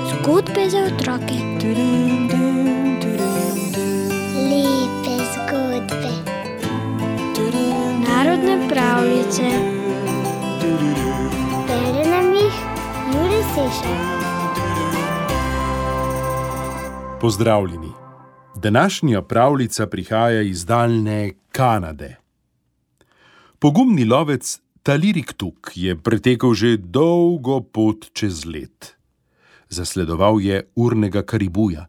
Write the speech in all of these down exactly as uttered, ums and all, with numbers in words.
Zgodbe za otroke. Lepe zgodbe. Narodne pravljice. Bere nam jih Jure Sešar. Pozdravljeni. Današnja pravljica prihaja iz daljne Kanade. Pogumni lovec Talirik Tuk je pretekel že dolgo pot čez led. Zasledoval je urnega karibuja.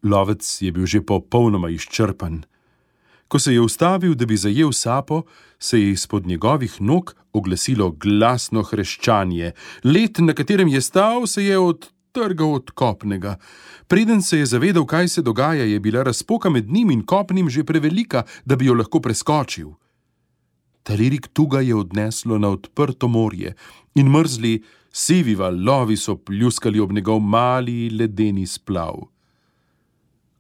Lovec je bil že popolnoma izčrpan. Ko se je ustavil, da bi zajel sapo, se je izpod njegovih nog oglasilo glasno hreščanje. Led, na katerem je stal, se je odtrgal od kopnega. Preden se je zavedal, kaj se dogaja, je bila razpoka med njim in kopnim že prevelika, da bi jo lahko preskočil. Talirik Tuga je odneslo na odprto morje in mrzli, sivi valovi so pljuskali ob njegov mali ledeni splav.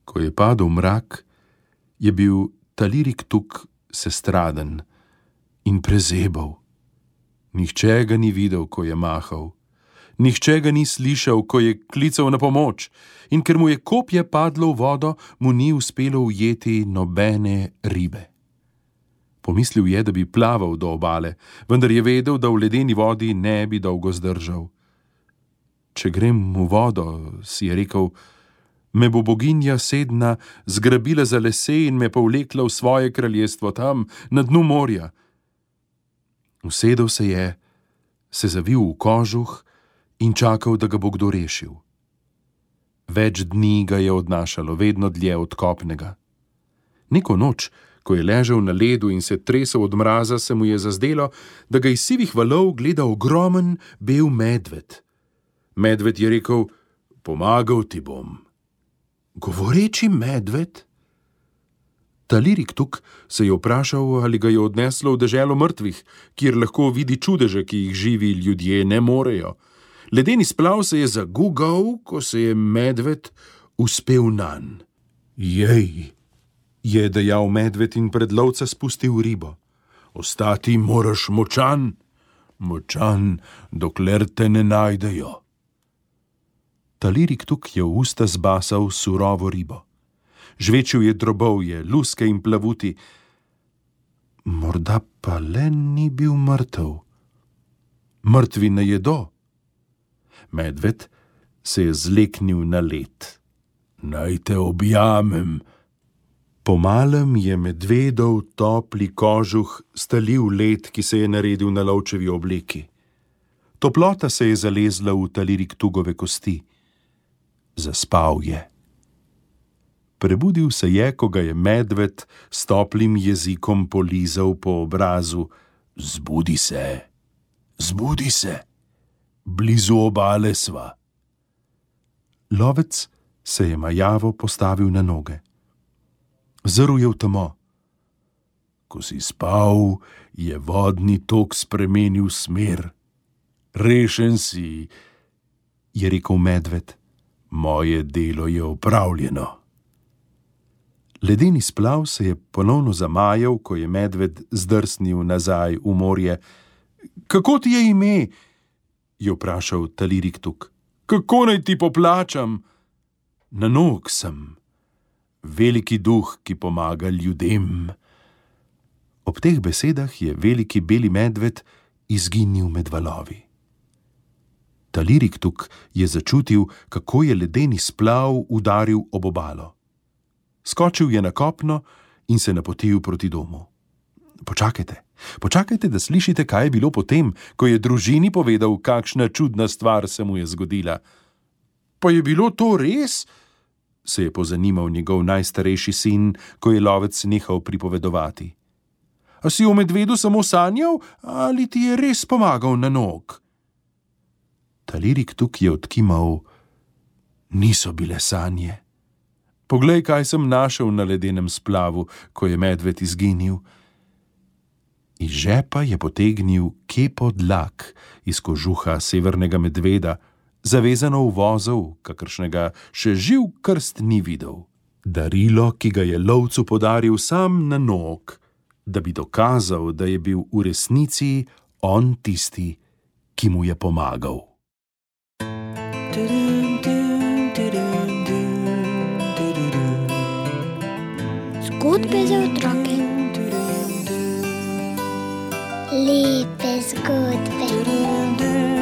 Ko je padel mrak, je bil Talirik Tuk sestraden in prezebal. Nihče ga ni videl, ko je mahal. Nihče ga ni slišal, ko je klical na pomoč, in ker mu je kopje padlo v vodo, mu ni uspelo ujeti nobene ribe. Pomislil je, da bi plaval do obale, vendar je vedel, da v ledeni vodi ne bi dolgo zdržal. Če grem v vodo, si je rekel, me bo boginja Sedna zgrabila za lase in me povlekla v svoje kraljestvo tam, na dnu morja. Usedel se je, se zavil v kožuh in čakal, da ga bo kdo rešil. Več dni ga je odnašalo, vedno dlje od kopnega. Neko noč, ko je ležal na ledu in se tresel od mraza, se mu je zazdelo, da ga iz sivih valov gleda ogromen bel medved. Medved je rekel, pomagal ti bom. Govoreči medved? Talirik Tuk se je vprašal, ali ga je odneslo v deželo mrtvih, kjer lahko vidi čudeže, ki jih živi ljudje ne morejo. Ledeni splav se je zagugal, ko se je medved uspel nanj. Jej, je dejal medved in pred lovca spustil ribo. Ostati moraš močan, močan, dokler te ne najdejo. Talirik Tuk je v usta zbasal surovo ribo. Žvečil je drobovje, luske in plavuti. Morda pa le ni bil mrtev. Mrtvi ne jedo. Medved se je zleknil na led. Naj te objamem. Pomalem je medvedov topli kožuh stalil led, ki se je naredil na lovčevi obleki. Toplota se je zalezla v Talirik Tugove kosti. Zaspal je. Prebudil se je, ko ga je medved s toplim jezikom polizal po obrazu. Zbudi se, zbudi se, blizu obale sva. Lovec se je majavo postavil na noge. Zrl je v temo. Ko si spal, je vodni tok spremenil smer. Rešen si, je rekel medved. Moje delo je opravljeno. Ledeni splav se je ponovno zamajal, ko je medved zdrsnil nazaj v morje. Kako ti je ime? Je vprašal Talirik Tuk. Kako naj ti poplačam? Na nog sem. Veliki duh, ki pomaga ljudem. Ob teh besedah je veliki beli medved izginil med valovi. Talirik Tuk je začutil, kako je ledeni splav udaril ob obalo. Skočil je na kopno in se napotil proti domu. Počakajte, počakajte, da slišite, kaj je bilo potem, ko je družini povedal, kakšna čudna stvar se mu je zgodila. Pa je bilo to res? Se je pozanimal njegov najstarejši sin, ko je lovec nehal pripovedovati. A si o medvedu samo sanjal, ali ti je res pomagal na nog? Talirik Tuk je odkimal, niso bile sanje. Poglej, kaj sem našel na ledenem splavu, ko je medved izginil. Iz žepa je potegnil kepo dlak iz kožuha severnega medveda, zavezano v vozel, kakršnega še živ krst ni videl. Darilo, ki ga je lovcu podaril sam na nog, da bi dokazal, da je bil v resnici on tisti, ki mu je pomagal. Zgodbe za otroke. Lepe zgodbe.